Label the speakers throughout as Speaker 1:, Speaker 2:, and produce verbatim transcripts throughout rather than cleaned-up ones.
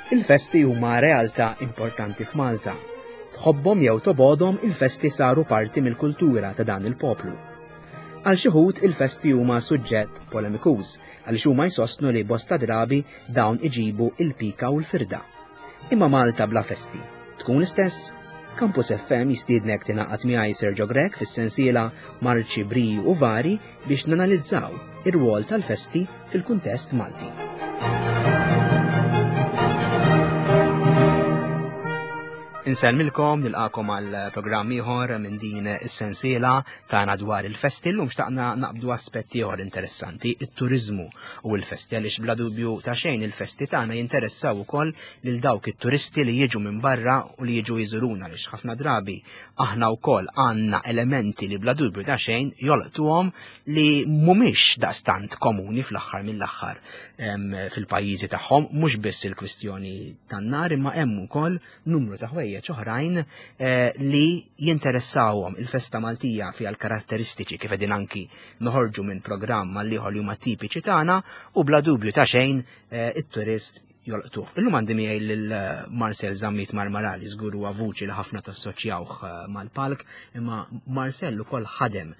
Speaker 1: Il-festi huma realtà importanti f'Malta. Tħobbhom jew tobgħodhom, il-festi saru parti mill-kultura ta' dan il-poplu. Għal xi wħud il-festi huma suġġett polemikuż għaliex huma jsostnu li bosta drabi dawn iġibu il-pika u l-firda. Imma Malta bla festi tkun l-istess? Campus F M jistiednek tingħaqad miegħi, Sergio Grech, fis-sensiela Marċi, Briju u Vari biex nanalizzaw ir-rwol tal-festi fil-kuntest Malti. Insellmilkom, nilqagħkom għal programm ieħor minn din is-sensiela tagħna dwar il-festi. Llum xtaqna naqbdu aspetti ieħor interessanti, it-turizmu u l-festi, għaliex bla dubju ta' xejn il-festi tagħna jinteressaw ukoll lil dawk it-turisti li jiġu minn barra u li jiġu jżuruna, għaliex ħafna drabi aħna wkoll għandna elementi li bla dubju ta' xejn jolqtuhom, li mhumiex daqstant komuni fl-aħħar mill-aħħar fil-pajjiżi tagħhom. Mhux biss il-kwistjoni tan-nar, imma hemm ukoll numru ta' ħwejjeġ oħrajn eh, li jinteressawhom. Il-festa Maltija fiha l-karatteristiċi, kif qegħdin anki noħorġu minn programm għal ieħor, li huma tipiċi tagħna u bla dubju ta' xejn eh, it-turist jolqtuh. Illum għandi miegħi lil eh, Marcel Zammit Marmarali. Żgur huwa vuċi li ħafna tassoċjawh mal-palk, imma Marcel ukoll ħadem,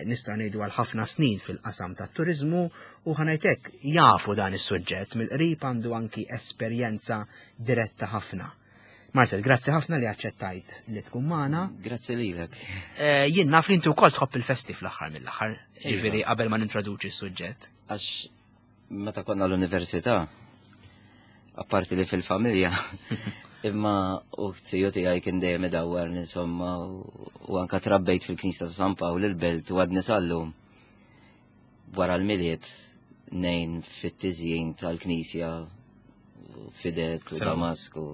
Speaker 1: nista' ngħidu, għal ħafna snin fil-qasam tat-turiżmu u, ħa ngħidlek, jafu dan is-suġġett mill-qrib, għandu anki esperjenza diretta ħafna. Marcel, grazzi ħafna li aċċettajt li tkun magħna.
Speaker 2: Grazzi lilek.
Speaker 1: Eh, jien naf li inti wkoll tħobb il-festi fl-aħħar mill-aħħar, ġifieri qabel ma nintroduċi s-suġġett.
Speaker 2: Għax meta konna l-università, apparti li fil-familja, imma u z-ziju tiegħi kien dejjem idawwar, insomma, u anka trabbejt fil-Knisja ta' San Pawl il-Belt u għadni sal-lum wara l-Milied ngħin fit-tiżjin tal-Knisja, fidet u Damasku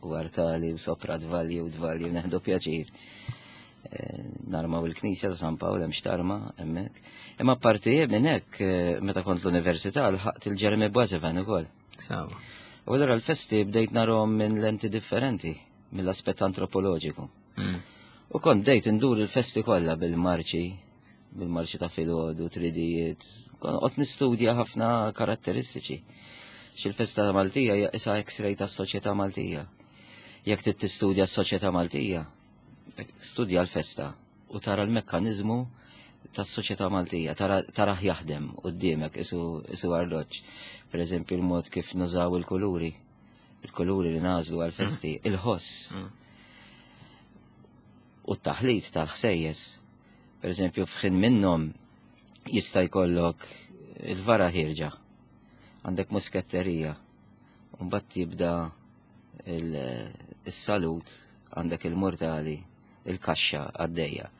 Speaker 2: u artali u sopra dvalji u dvalji u nieħdu pjaċir. Eh, narmaw il-Knisja ta' San Pawl, hemm x'tarma hemmhekk. Imma parti minn hekk, eh, meta kont l-università lħaqt il-Jeremy Boissevain ukoll. U allura l-festi bdejt narahom minn lenti differenti, mill-aspett antropoloġiku. Mm. U kont bdejt indur il-festi kollha bil-marċi, bil-marċi ta' filgħodu, tridijiet, kont nistudja ħafna karatteristiċi. Xil-festa Maltija hija isa X-ray tas-soċjetà Maltija. Jekk trid tistudja s-soċjetà Maltija, studja l-festa u tara l-mekkaniżmu tas-soċjetà Maltija, tara jaħdem quddiemek isu isu arloġġ. Per eżempju, il-mod kif nużaw il-kuluri, il-kuluri li nagħżlu għal-festi, mm. il-ħoss. Mm. U t-taħlit tal-ħsejjes. Per eżempju, f'ħin minnhom jista' jkollok il-vara ħierġa. Għandek musketterija. Mbagħad jibda il-salut, għandek il-mortali, il-kaxxa għaddejja.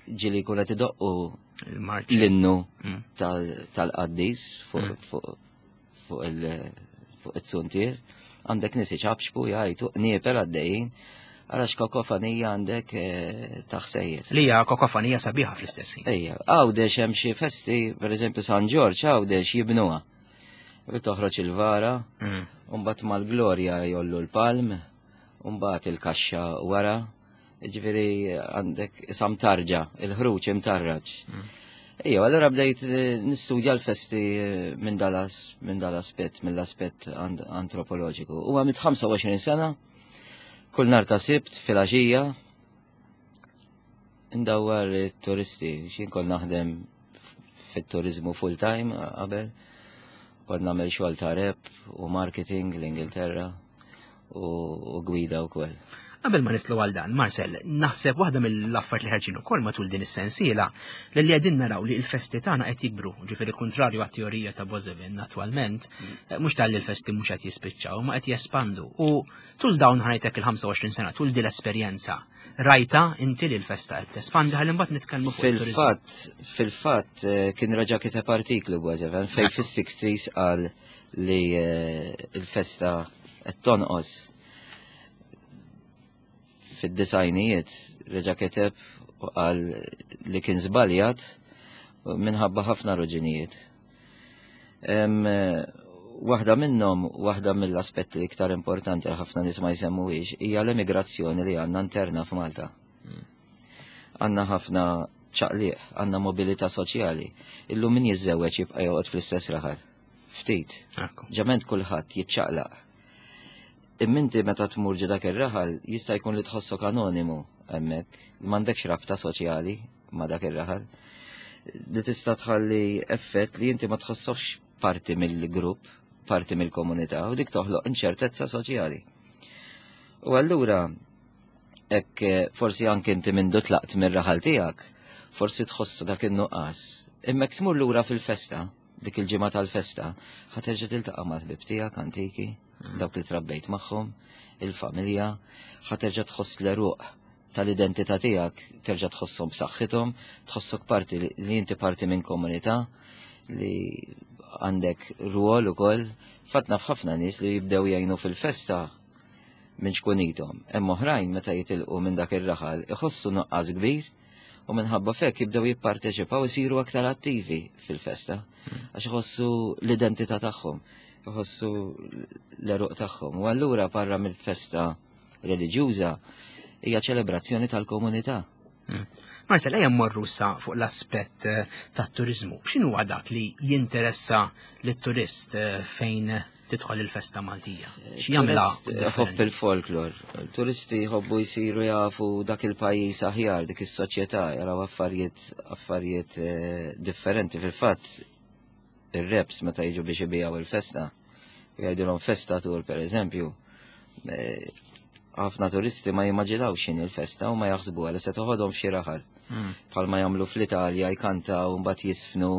Speaker 2: Ġieli jkun qed idoqqu l-innu mm. tal-qaddis fuq mm. fuq it-suntier, għandek nies iċapċpu, jgħajtu, qniepel għaddejjin, għarax kakofonija għandek eh, taħsejjes.
Speaker 1: Li hija kakofonija sabiħa fl-istess.
Speaker 2: Ejja, Għawdex hemm xi festi, per eżempju San Ġorġ, Għawdex jibnuha. Toħroġ il-vara, mm. u mbagħad mal-glorja jgħollu l-palm, u mbagħad il-kaxxa wara, ġifieri għandek sam tarġa, il-ħruġ imtarraġ. Mm. Ejja, allura bdejt eh, nistudja l-festi eh, minn dalas, minn dal-aspett, mill-aspett antropoloġiku. U għamilt ħamsa u għoxrin sena, kull nhar ta' Sibt filgħaxija, ndawwar turisti, jien kont naħdem fit-turizmu full-time qabel, kont nagħmel xogħol ta' rep u marketing l-Ingilterra u gwida wkoll.
Speaker 1: Qabel ma nidħlu għal dan, Marcel, naħseb waħda mill-affarijiet li ħerġin ukoll matul din is-sensiela li li qegħdin naraw li l-festi tagħna qed jikbru, ġifieri kontrarju għat-teorija ta' Boissevain attwalment, mm. mhux tal l-festi mhux qed jispiċċaw, ma qed jespandu. U tul dawn, ħa ngħidlek, il-ħamsa u għoxrin sena, tul din l-esperjenza, rajta inti li l-festa qed tespandi? Ħalli mbagħad nitkellmu
Speaker 2: fuq. Fil-fatt, fil-fatt eh, kien reġa' kiteb artiklu Boissevain fej fis-sixties qal li eh, il-festa qed tonqos. Fid-disgħinijiet reġa' kiteb u qal li kien żbaljat minħabba ħafna raġunijiet. Waħda minnhom, waħda mill-aspetti iktar importanti li ħafna nies ma jsemmuhiex, hija l-emigrazzjoni li għandna interna f'Malta. Għandna ħafna ċaqliq, għandna mobilità soċjali. Illum min jiżżewweġ jibqa' joqgħod fl-istess raħal. Ftit. Ġament kulħadd jiċċaqlaq. Imma inti meta tmur ġo dak ir-raħal jista' jkun li tħossok anonimu hemmhekk, m'għandekx rabta soċjali ma' dak ir-raħal. Li tista' tħalli effett li inti ma tħossokx parti mill-grupp, parti mill-komunità, u dik toħloq inċertezza soċjali. U allura hekk forsi anke inti mindu tlaqt mir-raħal tiegħek, forsi tħossu dak in-nuqqas. Imma jekk tmur lura fil-festa, dik il-ġimgħa tal-festa, ħa terġa' tiltaqa' mal-ħbieb tiegħek antiki, dawk li trabbejt magħhom, il-familja, ħa terġa' tħoss l-għeruq tal-identità tiegħek, terġa' tħosshom b'saħħithom, tħossok parti li inti parti minn komunità li għandek rwol ukoll. Fatt naf ħafna nies li jibdew jgħinu fil-festa minn ċkunithom. Hemm oħrajn meta jitilqu minn dak ir-raħal iħossu nuqqas kbir u minħabba fek jibdew jipparteċipaw, isiru aktar attivi fil-festa għax iħossu l-identità tagħhom, iħossu l-għeruq tagħhom. U allura barra mill-festa reliġjuża hija ċelebrazzjoni tal-komunità.
Speaker 1: Marcel, ejja mmorru sa fuq l-aspett eh, tat-turizmu. X'inhu dak li jinteressa lit-turist eh, fejn tidħol il-festa Maltija? X'jagħmilha
Speaker 2: Ħobb il-folklor. Turisti jħobbu jsiru jafu dak il-pajjiż aħjar, dik is-soċjetà, jaraw affarijiet affarijiet eh, differenti. Fil-fatt, ir-reps meta jiġu biex ibijaw il-festa, jgħidulhom festa tur per eżempju, ħafna turisti ma jimmaġinawx x'inhi il-festa u ma jaħsbu li se toħodhom f'xi raħal. Bħalma jagħmlu fl-Italja, jkantaw, mbagħad jisfnu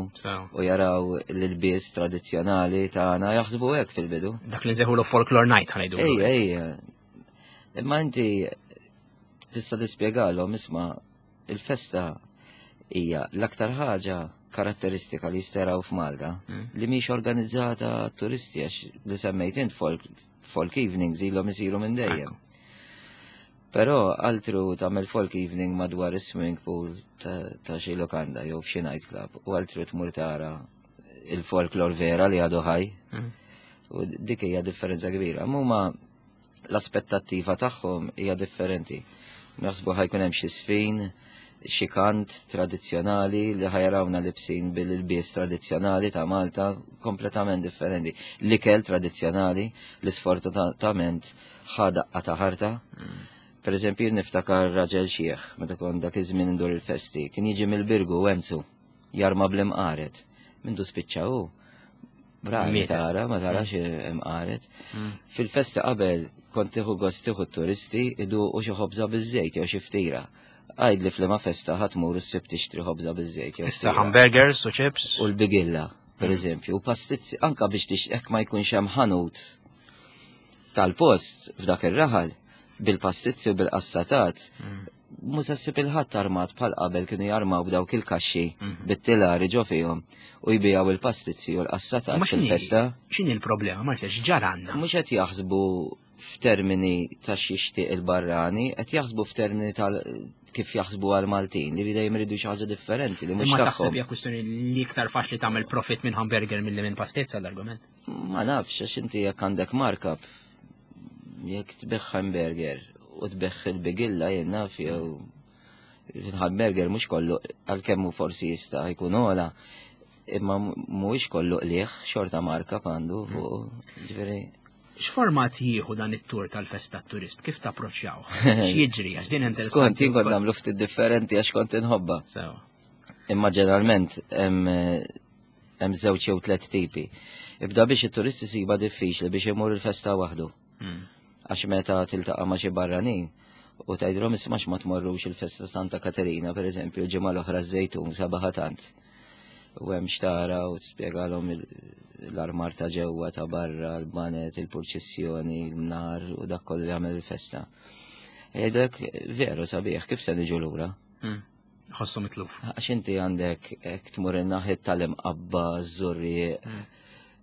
Speaker 2: u jaraw l-ilbies tradizzjonali tagħna, jaħsbu hekk fil-bidu.
Speaker 1: Dak li nsejħulu folklore night, ħa ngħidu.
Speaker 2: Ejja, ejja. Imma inti tista' tispjegalhom, isma', il-festa hija l-aktar ħaġa karatteristika li jisteraw f'Malta li mhix organizzata turisti, għax li semmejt int folk, folk evenings ilhom isiru minn dejjem. Però altru tagħmel folk evening madwar is-swimming pool ta' xi lokanda jew f'xi nightclub u altru tmur tara il-folklor vera li għadu ħaj. U dik hija differenza kbira. Huma l-aspettattiva tagħhom hija differenti. Jaħsbu ħa jkun hemm xi sfin, xi kant tradizzjonali, li ħa jarawna libsin bil-ilbies tradizzjonali ta' Malta, kompletament differenti. L-ikel tradizzjonali li sfortunatament ħa daqqa ta' ħarta. Per eżempju, niftakar raġel xieħ, meta kont dak iż-żmien ndur il-festi, kien jiġi mill-Birgu Wenzu, jarma bl-imqaret. Mindu spiċċa hu, bravi tara, ma tarax imqaret. Fil-festa qabel kont tieħu gost tieħu turisti iduqu xi ħobża biż-żejt jew xi ftira. Għid li f'liema festa ħa tmur issib tixtri ħobża biż-żejt.
Speaker 1: Issa hamburgers u chips.
Speaker 2: U l-bigilla, per eżempju, u pastizzi, anka biex tix hekk ma jkunx hemm ħanut tal-post f'dak ir-raħal bil-pastizzi u bil-qassatat, mhux se ssib il-ħadd armat bħal qabel kienu jarmaw b'dawk il-kaxxi bit-tilari ġo fihom u jbijaw il-pastizzi u l-qassatat fil-festa.
Speaker 1: X'inhi l-problema, Marcel, x'ġaranna?
Speaker 2: Mhux qed jaħsbu f'termini ta' x'jixtieq il-barrani, qed jaħsbu f'termini tal kif jaħsbu għal-Maltin, li dejjem iridu xi ħaġa differenti li mhux
Speaker 1: Ma taħseb hija kwistjoni li iktar faċli tagħmel profit minn hamburger milli minn pastizza l-argument?
Speaker 2: Ma nafx, għax inti jekk għandek markup, jekk tbigħ hamburger u tbigħ il-bigilla, jien naf, jew il-hamburger mhux kollu, għalkemm hu forsi jista' jkun ogħla, imma mhuwiex kollu qliegħ, xorta markup għandu fuq, ġifieri.
Speaker 1: X'format jieħu dan it-tur tal-festa turist? Kif tapproċċjaw? X'jiġri? Għax din interessanti.
Speaker 2: Skont, jien kont nagħmlu ftit differenti għax kont inħobba.
Speaker 1: Sewa.
Speaker 2: Imma ġeneralment hemm żewġ jew tliet tipi. Ibda biex it-turist isiba diffiċli biex imur il-festa waħdu. Għax meta tiltaqa' ma' xi barranin u tgħidilhom, isma', ma tmorrux il-festa Santa Katerina, pereżempju, l-ġimgħa l-oħra Żejtun sabaħa tant. U hemm xtara u tispjegalhom l-armar ta' ġewwa, ta' barra, l-banet, il-purċissjoni, l-nar u dak kollu li jagħmel il-festa. Jgħidlek, veru sabiħ, kif se niġu lura?
Speaker 1: Ħossu mitluf.
Speaker 2: Għax inti għandek hekk tmur in-naħiet tal-Imqabba, Żurrieq,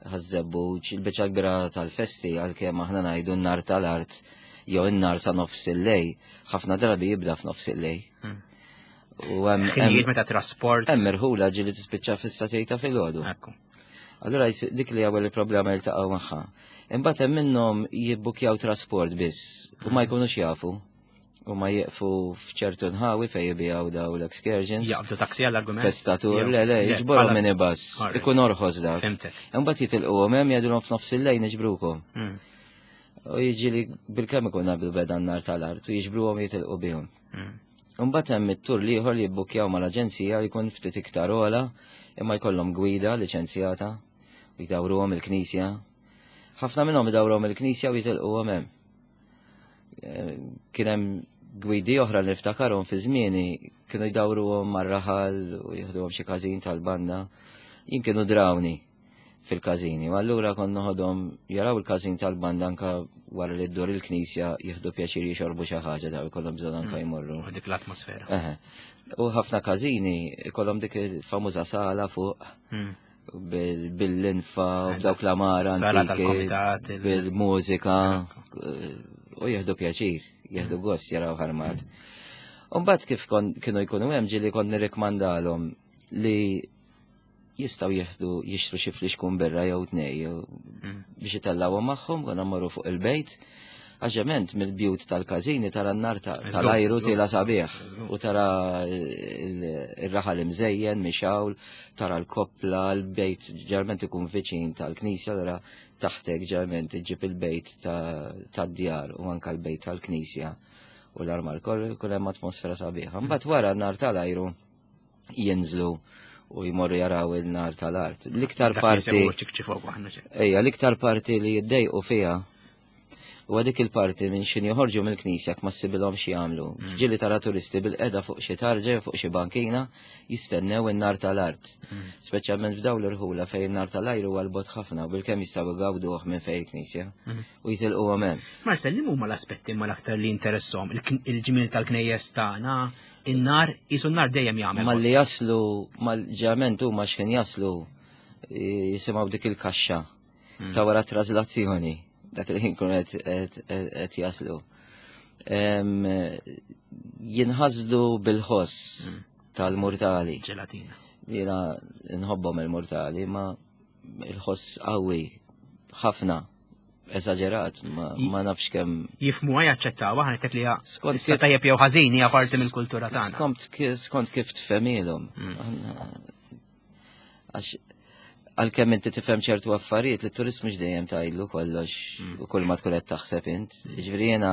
Speaker 2: Ħaż-Żebbuġ, il-biċċa kbira tal-festi, għalkemm aħna ngħidu n-nar tal-art jew in-nar sa nofs il-lejl, ħafna drabi jibda f'nofs il-lejl.
Speaker 1: U hemm ħinijiet meta trasport.
Speaker 2: Hemm irħula ġieli tispiċċa fis-sagħtejn ta' filgħodu. Allura dik li ewwel il-problema jiltaqgħu magħha. Imbagħad hemm minnhom jibbukjaw trasport biss u ma jkunux jafu. U ma jieqfu f'ċertu nħawi fejn jibigħu daw l-excursions.
Speaker 1: Jaqbdu taksi għall-argument.
Speaker 2: Festatur, le, le, jiġborhom minibus. Ikun orħos dak.
Speaker 1: Fhimtek.
Speaker 2: Imbagħad jitilquhom hemm jgħidulhom f'nofs il-lejl niġbrukom.
Speaker 1: Mm.
Speaker 2: U jiġi li bil-kemm ikun qabel beda n-nar tal-art u jiġbruhom jitilqu bihom.
Speaker 1: Mm.
Speaker 2: Imbagħad hemm it-tur l-ieħor li jibbukkjaw mal-aġenzija li jkun ftit iktar ogħla imma jkollhom gwida liċenzjata u jdawruhom il-knisja. Ħafna minnhom idawruhom il-knisja u jitilquhom hemm. Eh, Kien hemm gwidi oħra li niftakarhom fi żmieni kienu jdawruhom mar-raħal u jieħduhom xi każin tal-banda. Jien kienu drawni fil-każini. U allura kont noħodhom jaraw il-każin tal-banda anka wara li ddur il-knisja jieħdu pjaċir jixorbu xi ħaġa daw ikollhom bżonn anka jmorru.
Speaker 1: U dik l-atmosfera.
Speaker 2: Eħe. U ħafna każini ikollhom dik il-famuża sala fuq
Speaker 1: Mm.
Speaker 2: bil- bil-linfa u b'dawk l-amara
Speaker 1: Sala
Speaker 2: antiki,
Speaker 1: tal-komitat, il-
Speaker 2: bil-mużika u jieħdu pjaċir, jieħdu gost jaraw ħarmat. Umbagħad kif kon, kienu jkunu hemm ġieli kont nirrikmandalhom li jistgħu jieħdu jixtru xi flixkun birra jew tnej jew
Speaker 1: Mm.
Speaker 2: biex itellgħuhom magħhom konna mmorru fuq il-bejt. Għax mill-bjut tal-każini tara n-nar ta-
Speaker 1: Żgur,
Speaker 2: tal-ajru
Speaker 1: żgur.
Speaker 2: tiela sabiħ
Speaker 1: Żgur.
Speaker 2: u tara il- il-raħal imżejjen, mixawl, tara l-koppla, l-bejt ġeneralment ikun viċin tal-knisja, allura taħtek ġeneralment iġib il-bejt ta- tad-djar u anka l-bejt tal-knisja u l-armar kollu jkun hemm atmosfera sabiħa. Mbagħad wara n-nar tal-ajru jinżlu u jmorru jaraw il-nar tal-art. L-iktar
Speaker 1: Dak li
Speaker 2: parti
Speaker 1: jsegwu ċikċi fuq aħna ċe.
Speaker 2: Ejja, l-iktar parti li jiddejqu fija u dik il-parti minn xin joħorġu mill-knisja ma ssibilhom xi jagħmlu. Ġieli tara turisti bil-qeda fuq xi tarġa jew fuq xi bankina jistennew in-nar tal-art. Speċjalment f'dawn l-irħula fejn in-nar tal-ajru huwa l-bogħod ħafna u bilkemm jistgħu jgawduh minn fejn il-knisja u jitilquhom hemm.
Speaker 1: Marcel, li huma l-aspetti ma l-aktar li interessom? Il-ġmiel tal-knejjes tagħna, in-nar, jisu n-nar dejjem jagħmel.
Speaker 2: Malli
Speaker 1: ħoss.
Speaker 2: jaslu, mal-ġament huma x'ħin jaslu eh, jisimgħu dik il-kaxxa ta' wara traslazzjoni, dak li ħin kun qed- qed qed jaslu. Em, Jinħasdu bil-ħoss tal-murtali.
Speaker 1: Ġelatina.
Speaker 2: Jiena nħobbhom il-murtali, ma il-ħoss qawwi ħafna, eżaġerat, ma, ma nafx kemm
Speaker 1: Jifmuha jaċċettaw, aħna tek li hija
Speaker 2: Skont
Speaker 1: issa
Speaker 2: kif-
Speaker 1: tajjeb jew ħażin hija parti mill-kultura tagħna.
Speaker 2: Skont ki- skont kif tfehmilhom. Aħna- Għax għalkemm inti tifhem ċertu affarijiet li t-turist mhux dejjem tgħidlu kollox u kull ma tkun qed taħseb int. Jiġifieri jiena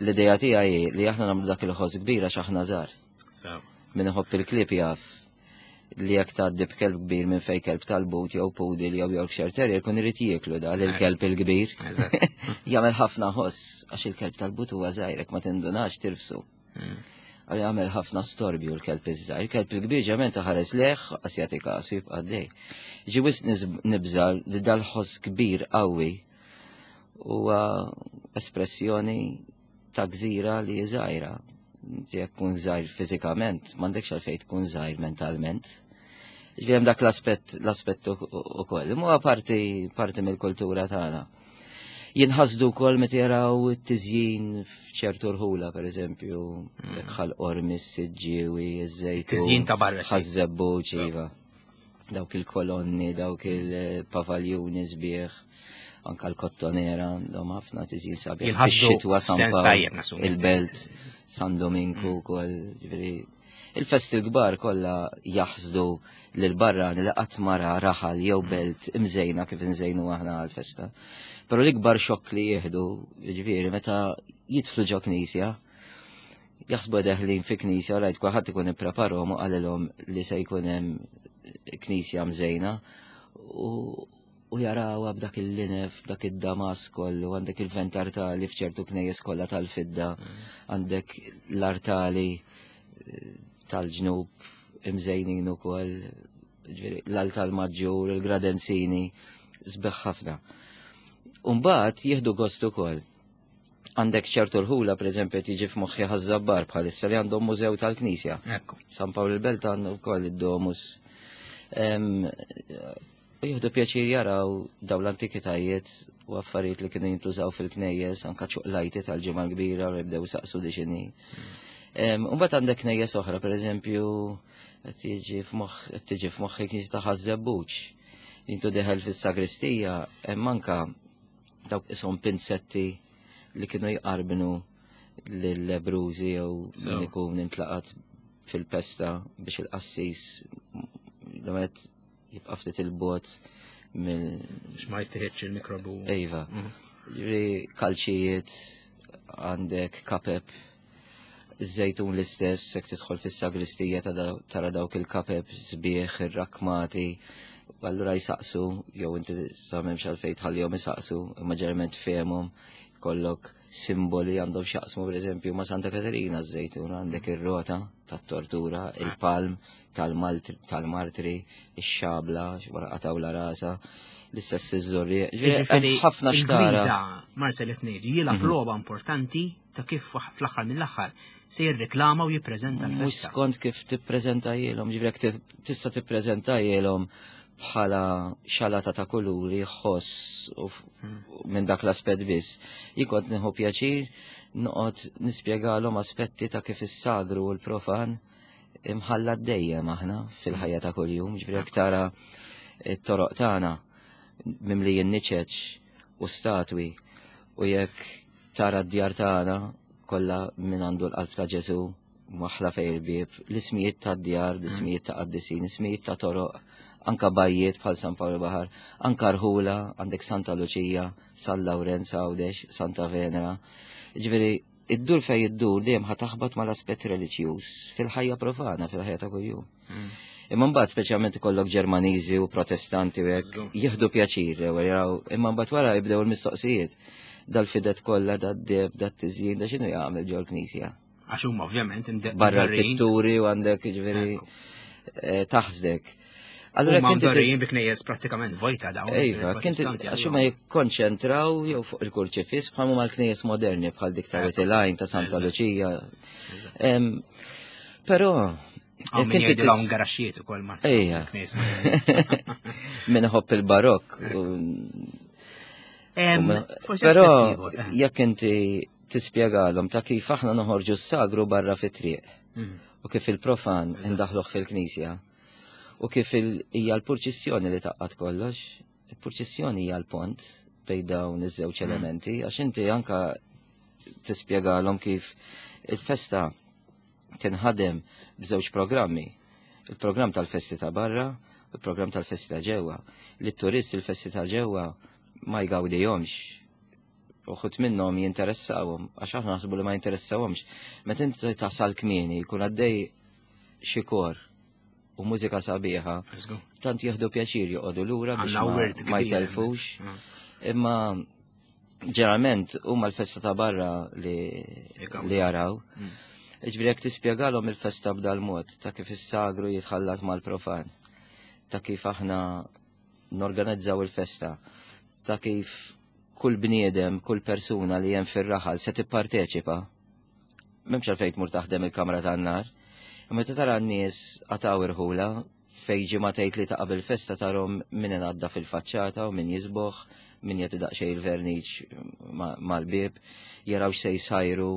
Speaker 2: l-idea tiegħi hi li aħna nagħmlu dak il-ħoss kbir għax aħna żgħar.
Speaker 1: So.
Speaker 2: Min iħobb il-klieb jaf li jekk tgħaddi b'kelb kbir minn fejn kelb tal-but jew poodle jew Yorkshire Terrier kun irid jieklu da l-kelb il-kbir.
Speaker 1: Eżatt.
Speaker 2: Jagħmel ħafna ħoss għax il-kelb tal-but huwa żgħir jekk ma tindunax tirfsu. Għal jagħmel ħafna storbju l-kelb iż-żgħir. Il-kelb il-kbir ġament ħares leħ għas jagħti kasu jibqa' għaddej. Ġi wisq niz- nibża li dal-ħoss kbir qawwi huwa espressjoni ta' gżira li hi żgħira. Inti jekk tkun żgħir fiżikament, m'għandekx għalfejn tkun żgħir mentalment. Ġifieri hemm dak l-aspett l-aspett ukoll. Imma huwa parti parti mill-kultura tagħna. Jinħasdu wkoll meta jaraw it-tiżjin f'ċertu rħula, per eżempju, jekk Ħal Qormi, s-Siġġiewi, iż-Żejtun.
Speaker 1: Tiżjin ta' barra.
Speaker 2: Ħaż-Żebbuġ, iva. Dawk il-kolonni, dawk il-pavaljuni sbieħ, anka l-kottonera, għandhom ħafna tiżjin sabiħ.
Speaker 1: Jinħasdu
Speaker 2: Fix-xitwa San
Speaker 1: sens
Speaker 2: Pawl,
Speaker 1: tajjeb nassumi.
Speaker 2: Il-Belt, San Dominku wkoll, ġifieri. Il-festi l-kbar kollha jaħsdu lil barrani li qatt mara raħal jew belt imżejna kif nżejnu aħna għal-festa. Però l-ikbar xokk li jieħdu, ġifieri, meta jidħlu ġo knisja, jaħsbu deħlin fi knisja, rajt kulħadd ikun ippreparhom u qalilhom li se jkun hemm knisja mżejna u, u jarawha b'dak il-linef, b'dak id-damas kollu, għandek il-ventartali f'ċertu knejjes kollha tal-fidda, għandek l-artali eh, tal-ġnub imżejnin ukoll, ġifieri, l-altar maġġur, il-gradenzini, sbeħ ħafna. Umbagħad jieħdu gost ukoll. Għandek ċertu rħula, per eżempju, tiġi f'moħħi Ħaż-Żabbar bħalissa li għandhom mużew tal-Knisja.
Speaker 1: Ekku.
Speaker 2: San Pawl il-Belt għandu wkoll id-Domus. Em, U jieħdu pjaċir jaraw daw l-antikitajiet u affarijiet li kienu jintużaw fil-knejjes, anka ċuqlajti tal-ġimgħa l-kbira u jibdew saqsu diċini. U mbagħad għandek knejjes oħra, per eżempju, qed tiġi f'moħħ qed tiġi f'moħħi knisja ta' Ħaż-Żebbuġ. Intu deħel fis-sagristija hemm anka dawk ishom pinzetti li kienu jqarbnu lill-lebbrużi jew min ikun intlaqat fil-pesta biex il-qassis l-għamet jibqa' ftit il-bot mill.
Speaker 1: Biex ma jittieħedx il-mikrobu.
Speaker 2: Iva. Ġifieri kalċijiet, għandek kapep, iż-żejtun l-istess, jekk tidħol fis-sagristija tara dawk il-kapep sbieħ, ir-rakmati, allura jsaqsu, jew inti sa m'hemmx għalfejn tħallihom isaqsu, imma ġeneralment fehmhom, kollok simboli għandhom x'jaqsmu pereżempju ma' Santa Katerina ż-żejtun, għandek ir-rota tat-tortura, il-palm tal-martri, ix-xabla, wara qatgħula rasa, l-istess iż-żurrieq.
Speaker 1: Ġifieri ħafna xtara. Marcel qed ngħidu jilgħab mhm. logħba importanti ta' kif fl-aħħar mill-aħħar se jirreklama u jippreżenta l-festa.
Speaker 2: Mhux skont kif tippreżentajilhom, ġifieri tista' tippreżentajilhom bħala xalata ta' kuluri, ħoss u hmm. minn dak l-aspett biss. Jien kont nieħu pjaċir noqgħod nispjegalhom aspetti ta' kif is-sagru u l-profan imħalla dejjem aħna fil-ħajja ta' kuljum, ġifieri jekk tara t-toroq tagħna mimlijin niċeċ u statwi u jekk tara d-djar tagħna kollha min għandu l-qalb ta' Ġesu maħla fej il-bieb, l-ismijiet ta' djar, l-ismijiet ta' qaddisin, l-ismijiet ta' toroq, anka bajjiet bħal San Pawl Baħar, anka rħula, għandek Santa Luċija, San Lawrenz Għawdex, Santa Venera. Ġifieri, iddur fej iddur dejjem ħa taħbat mal-aspett reliġjuż fil-ħajja profana, fil-ħajja ta' kuljum. Mm. Imma mbagħad speċjalment ikollok Ġermaniżi u Protestanti u hekk jieħdu pjaċir jaraw, imma mbagħad wara jibdew il-mistoqsijiet. Dal-fidet kollha, dad-deb, dat-tiżjin, da x'inhu jagħmel ġol-knisja.
Speaker 1: Għax huma ovvjament
Speaker 2: barra l-pitturi u għandek ġifieri eh, taħsdek.
Speaker 1: Allura kien mdorrijin bi knejjes prattikament vojta dawn.
Speaker 2: Iva, kien għax huma jikkonċentraw jew fuq il-kurċifiss bħal huma l-knejjes moderni bħal dik ta' Witilajn ta' Santa Luċija. Però
Speaker 1: Għaw min jgħidilhom garaxxijiet ukoll ma'
Speaker 2: Ejja. Min iħobb il-barokk. Però eh. jekk inti tispjegalhom ta' kif aħna noħorġu s-sagru barra fit-triq mm. u kif il-profan indaħluh fil-knisja u kif hija l-purċissjoni li taqqat kollox, il-purċissjoni hija l-pont bejn dawn iż-żewġ mm. elementi għax inti anka tispjegalhom kif il-festa tinħadem b'żewġ programmi. Il-programm tal-festi ta' barra u il-programm tal-festi ta' ġewwa. Li t-turist il-festi ta' ġewwa ma jgawdihomx. Uħud minnhom jinteressawhom, għax aħna naħsbu li ma jinteressawhomx. Meta inti tasal kmieni jkun għaddej xi kor u mużika sabiħa, tant jieħdu pjaċir joqogħdu lura biex ma jtelfux. Mm. Imma ġeneralment huma l-festa ta' barra li li jaraw. Mm. Ġifieri jekk tispjegalhom il-festa b'dal mod ta' kif is-sagru jitħallat mal-profan, ta' kif aħna norganizzaw il-festa, ta' kif kull bniedem, kull persuna li hemm fir-raħal se tipparteċipa. M'hemmx għalfejn tmur taħdem il-kamra tan-nar. Imma tara n-nies qataw irħula fej ġimgħa tgħid li ta' qabel festa tarhom min ingħadda fil-faċċata u min jisboħ, min jagħti daqsxejn il-verniċ mal-bieb, jaraw x'se jsajru,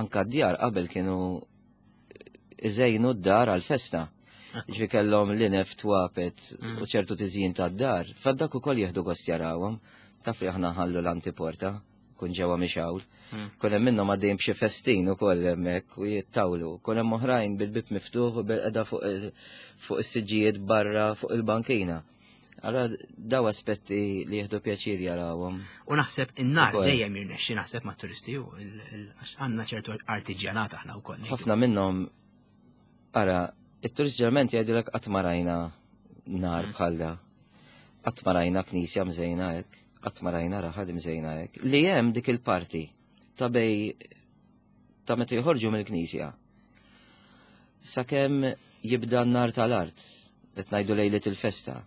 Speaker 2: anka d-djar qabel kienu iżejnu d-dar għal-festa. Ġifieri kellhom l-inef twapet mm. u ċertu tiżjin tad-dar. Faddak ukoll jieħdu gost jarawhom. Taf li aħna ħallu l-antiporta, kun ġewwa mixawl. Mm. Kun hemm minnhom għaddejjin b'xi festin ukoll hemmhekk u jittawlu. Kun hemm oħrajn bil-bib miftuħ u bil-qeda fuq is-siġġijiet barra fuq il-bankina. Allora daw aspetti li jieħdu pjaċir jarawhom.
Speaker 1: U naħseb in-nar dejjem jirnexxi naħseb mat-turisti u għandna ċertu artiġjanat aħna wkoll.
Speaker 2: Ħafna minnhom ara, it-turist ġeneralment jgħidulek qatt ma rajna nar mm. bħal da. Qatt ma rajna knisja mżejna hekk, qatt ma rajna raħal mżejna hekk. Li hemm dik il-parti ta' bej ta' meta joħorġu mill-knisja. Sakemm jibda n-nar tal-art, qed ngħidu lejlet il-festa.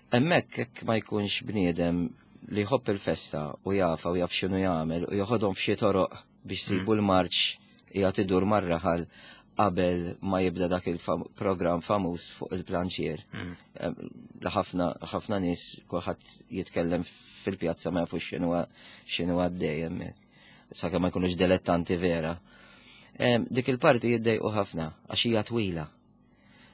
Speaker 2: Hemmhekk hekk ma jkunx bniedem li jħobb il-festa u jafa u jaf x'inhu jagħmel u joħodhom f'xi toroq biex sibu mm. l-marċ qiegħed idur mar-raħal qabel ma jibda dak il-programm famuż fuq il-planċier. Mm. Li ħafna ħafna nies kulħadd jitkellem fil-pjazza ma jafux x'inhu x'inhu għaddej hemmhekk. Sakemm ma jkunux dilettanti vera. Dik il-parti jiddejqu ħafna għax hija twila.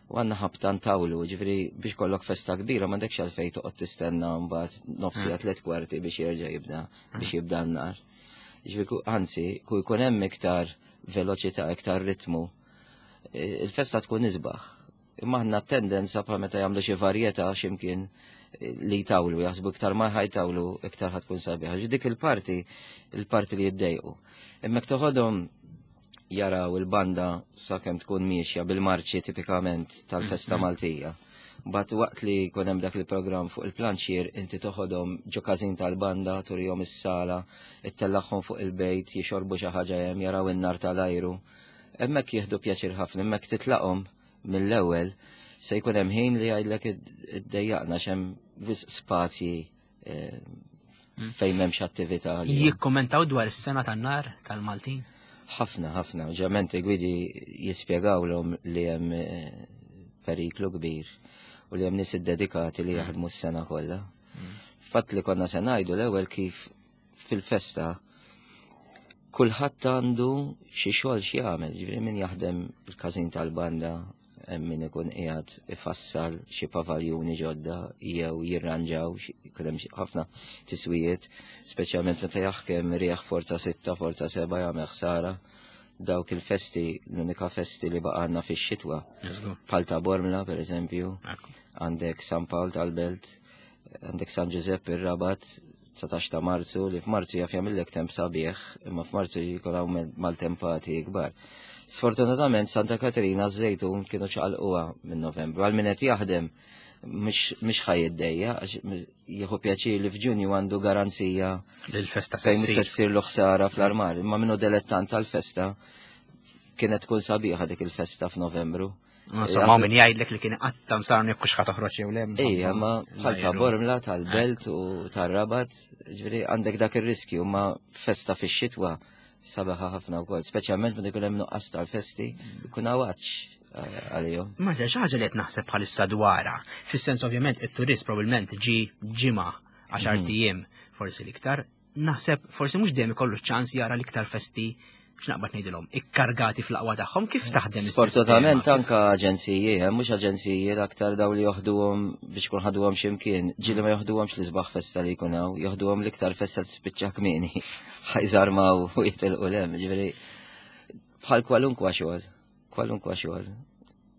Speaker 2: U għandna ħabta ntawlu, ġifieri biex kollok festa kbira m'għandekx għalfejn toqgħod tistenna mbagħad nofsija mm. tliet kwarti biex jerġa' jibda biex jibda n-nar. Ġifieri, anzi, ku jkun hemm iktar veloċità, iktar ritmu, il-festa tkun isbaħ. Imma aħna tendenza bħal meta jagħmlu xi varjetà x'imkien li jtawlu, jaħsbu iktar ma ħajtawlu iktar ħa tkun sabiħa. Dik il-parti, il-parti li jiddejqu. Imma toħodhom jaraw il-banda sakemm tkun miexja bil-marċi tipikament tal-festa Maltija. Bat waqt li jkun hemm dak il-programm fuq il-planċier, inti toħodhom ġo każin tal-banda, turihom is-sala, ittellagħhom fuq il-bejt, jixorbu xi ħaġa hemm, jaraw in-nar tal-ajru. Hemmhekk jieħdu pjaċir ħafna, hemmhekk titlaqhom mill-ewwel se jkun hemm ħin li jgħidlek iddejjaqna x'hemm wisq spazji eh, fejn m'hemmx attività.
Speaker 1: Jikkommentaw dwar is-sena tan-nar tal-Maltin?
Speaker 2: Ħafna, ħafna. Ġament gwidi jispjegawlhom li hemm eh, periklu kbir u li hemm nies iddedikati li jaħdmu s-sena kollha. Fatt li konna se ngħidu l-ewwel kif fil-festa kulħadd għandu xi xogħol xi jagħmel, ġifieri min jaħdem il-każin tal-banda, hemm min ikun qiegħed ifassal xi pavaljuni ġodda jew jirranġaw, jkun hemm ħafna tiswijiet, speċjalment meta jaħkem rieħ forza sitta, forza seba' jagħmel ħsara. Dawk il-festi, l-unika festi li baqgħalna fix-xitwa. Bħal ta' Bormla, per eżempju, għandek San Pawl tal-Belt, għandek San Giuseppe ir-Rabat, dsatax ta' Marzu, li f'Marzu jaf jagħmillek temp sabiħ, imma f'Marzu jkun hawn maltempati kbar. Sfortunatament Santa Katerina Żejtun kienu ċaqalquha minn Novembru. Għal min qed jaħdem mhux ħa jiddejjaq, għax jieħu pjaċir li f'Ġunju għandu garanzija
Speaker 1: l-festa
Speaker 2: fejn se ssir l ħsara fl-armar. Imma minnu dilettant tal-festa kienet tkun sabiħa dik il-festa f'Novembru.
Speaker 1: Insomma, min jgħidlek li kien qatta msar jekk hux toħroġ jew le.
Speaker 2: Ejja, ma bħal ta' Bormla, tal-Belt u tar-Rabat, ġifieri għandek dak ir-riskju, ma festa fix-xitwa sabiħa ħafna wkoll, speċjalment meta jkun hemm nuqqas tal-festi, jkun hawn għalihom.
Speaker 1: Ma xi ħaġa li qed naħseb bħalissa dwarha. Fis-sens ovvjament it-turist probabbilment ġi ġimgħa għaxar mhm. ijiem forsi l-iktar. Naħseb forsi mhux dejjem ikollu ċans jara l-iktar festi x'naqbad ngħidilhom, ikkargati fl-aqwa tagħhom kif taħdem
Speaker 2: Sfortunatament anka aġenziji, eh, mhux aġenziji l-aktar daw li joħduhom biex kun ħaduhom x'imkien, ġieli ma joħduhomx l-isbaħ festa li jkun hawn, joħduhom l-iktar festa tispiċċa kmieni. Ħa jżarmaw u jitilqu lem, ġifieri bħal kwalunkwa xogħol, kwalunkwa xogħol.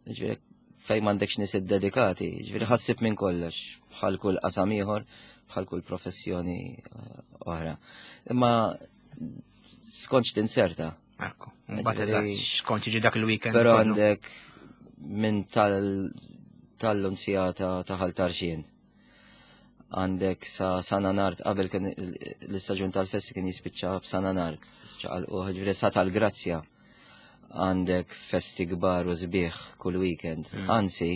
Speaker 2: Ġifieri fejn m'għandekx nies iddedikati, ġifieri ħassib minn kollox, bħal kull qasam ieħor, bħal kull professjoni eh, oħra. Imma skont tinserta.
Speaker 1: Ekku, mbagħad eżatt skont jiġi dak il-weekend.
Speaker 2: Però għandek minn tal-Lunzjata ta' Ħal Tarxien. Għandek sa San Anard, qabel kien l-istaġun tal-festi kien jispiċċa f'San Anard, ċaqalqu ġifieri sa tal-Grazzja. Għandek festi kbar u sbieħ kull weekend. Mm. Anzi,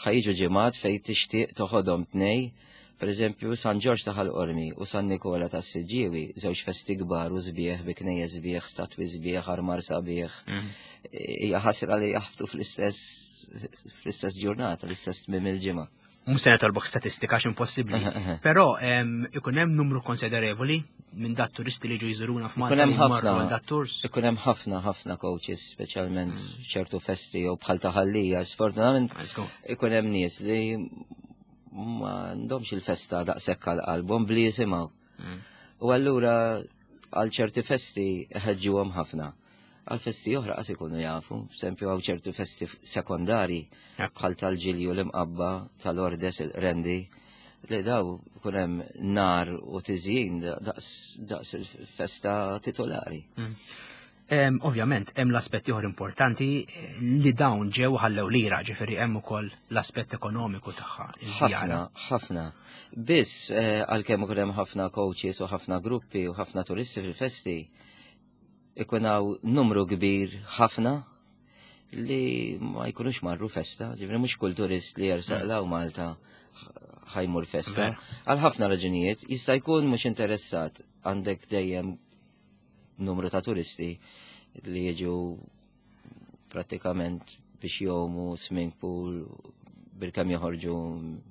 Speaker 2: ħa jiġu ġimgħat fej tixtieq toħodhom tnej. Per eżempju, San Ġorġ ta' Ħal Qormi u San Nikola ta' Siġġiewi, żewġ festi kbar u sbieħ bi knejjes sbieħ, statwi sbieħ, armar sabiħ. Mm. Hija ħasra li jaħbtu fl-istess fl-istess ġurnata, l-istess tmiem il-ġimgħa.
Speaker 1: Mhux se nitolbok statistika għax impossibbli. Però ikun hemm numru konsiderevoli minn dat turisti li ġu jżuruna f'Malta.
Speaker 2: Ikun hemm ħafna. Ikun hemm ħafna ħafna coaches, speċjalment mm. ċertu festi jew bħal ta' Ħal Lija, sfortunatament ikun hemm nies li ma għandhomx il-festa daqshekk għal qalbhom bli jisimgħu. Mm. U allura għal ċerti festi ħeġġuhom ħafna. Għal festi oħra qas ikunu jafu, esempio għaw ċerti festi sekondari bħal tal-Ġilju l-Imqabba, tal-Ordes il-Rendi, li daw ikun hemm nar u tiżjin daqs il-festa titolari.
Speaker 1: Mm. Ovvjament, hemm l-aspett ieħor importanti eh, li dawn ġew ħallew lira, ġifieri hemm ukoll l-aspett ekonomiku tagħha.
Speaker 2: Ħafna, ħafna. Biss eh, għalkemm ukoll hemm ħafna coaches u ħafna gruppi u ħafna turisti fil-festi, ikun hawn numru kbir ħafna li ma jkunux marru festa, ġifieri mhux kull turist li jersaq mm. law Malta ħa jmur festa. Għal ħafna raġunijiet, jista' jkun mhux interessat għandek dejjem numru ta' turisti li jiġu pratikament biex jgħumu swimming pool bil-kemm joħorġu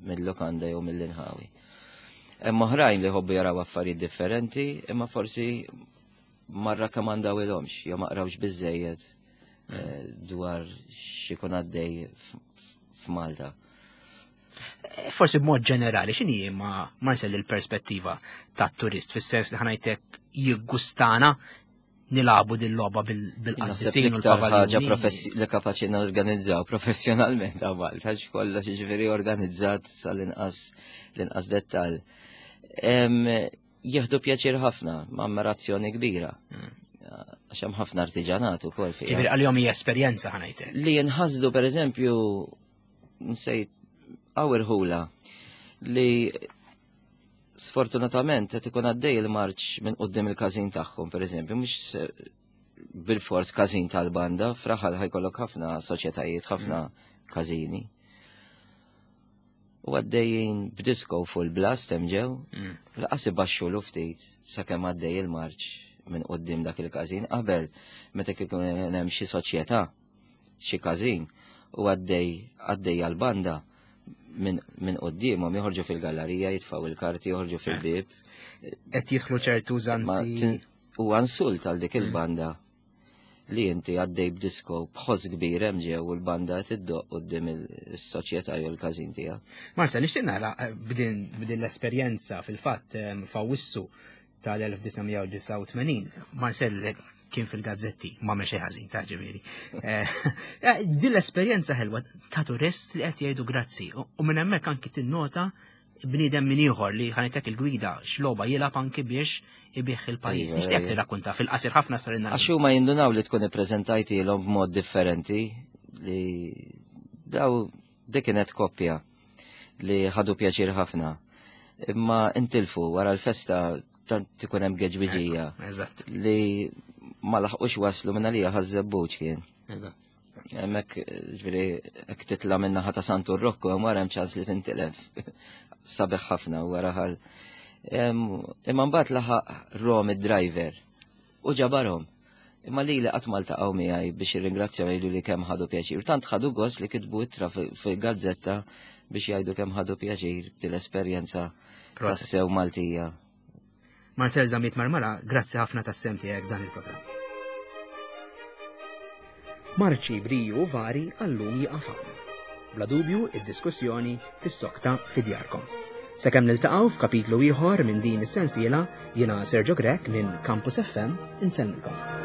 Speaker 2: mill-lokanda jew mill-inħawi. Hemm oħrajn li jħobbu jaraw affarijiet differenti, imma forsi ma rrakkomandawilhomx jew ma qrawx biżejjed eh, dwar x'ikun għaddej f'Malta.
Speaker 1: Eh, forsi b'mod ġenerali, x'inhi ma Marcel il-perspettiva tat-turist fis-sens li ħa ngħidlek jiggustana nilagħbu din logħba bil-qaddisin u
Speaker 2: l-ħaġa li kapaċi norganizzaw professjonalment għal Malta, għax kollox ġifieri organizzat sal-inqas l-inqas dettal. Jieħdu pjaċir ħafna, ma' ammirazzjoni kbira. Hmm. Għax hemm ħafna artiġanat ukoll
Speaker 1: fiha. Ġifieri għalihom hija esperjenza ħa ngħidlek.
Speaker 2: Li jinħasdu pereżempju nsejt hawn irħula li sfortunatament qed ikun għaddej il-marċ minn quddiem il-każin tagħhom, pereżempju, mhux bil-fors każin tal-banda, f'raħal ħa jkollok ħafna soċjetajiet, ħafna mm. każini. U għaddejjin b'disco full blast hemm ġew, mm. lanqas ibaxxu l ftit sakemm għaddej il-marċ minn quddiem dak il-każin qabel meta kien hemm xi soċjetà, xi każin u għaddej għaddej għal-banda minn min quddiemhom joħorġu fil-gallerija, jitfaw il-karti, joħorġu fil-bib.
Speaker 1: Qed jidħlu ċertu użanzi.
Speaker 2: U insult għal dik mm. il-banda li inti għaddej b'disko b'ħoss kbir hemm ġew u l-banda tiddoq quddiem is-soċjetà jew il-każin tiegħek.
Speaker 1: Marcel, nixtieq nara eh, b'din l-esperjenza fil-fatt eh, f'Awwissu tal-elf disa' mija u disgħa u tmenin, Marcel kien fil-gazzetti, ma xejn ħażin ta' ġifieri. Eh, eh, din l-esperjenza ħelwa ta' turist li qed jgħidu grazzi u minn hemmhekk anki tinnota bniedem min ieħor li ħa ngħidlek il-gwida x'logħba jilgħab anki biex ibih il-pajjiż.
Speaker 2: Iva,
Speaker 1: Nixtieq
Speaker 2: iva.
Speaker 1: tirrakkunta fil-qasir ħafna sarinna.
Speaker 2: Għax huma jindunaw li tkun ippreżentajtilhom b'mod differenti li daw dik kienet koppja li ħadu pjaċir ħafna. Imma intilfu wara l-festa tant ikun hemm geġbiġija.
Speaker 1: Eżatt.
Speaker 2: Li ma laħqux waslu minn għalija ħaż-żebbuġ kien.
Speaker 1: Eżatt.
Speaker 2: Hemmhekk, ġifieri, hekk titla' minn naħa ta' Santu Rokku, hemm wara hemm ċans li tintilef. Sabiħ ħafna wara ħal. Imma mbagħad laħaq Rom id-driver u ġabarhom. Imma li li qatt ma ltaqgħu miegħi biex jirringrazzjaw jgħidu li kemm ħadu pjaċir. Tant ħadu gost li kitbu ittra fil-gazzetta biex jgħidu kemm ħadu pjaċir til-esperjenza tassew Maltija.
Speaker 1: Marcel Zammit Marmara, grazzi ħafna tas-sem tiegħek dan il-programm. Marċi briju vari għallum jieqaf hawn. Bla dubju, id-diskussjoni tissokta fi djarkom. Sakemm niltaqgħu f'kapitlu ieħor minn din is-sensiela, jiena Sergio Grech minn Campus F M insellmilkom.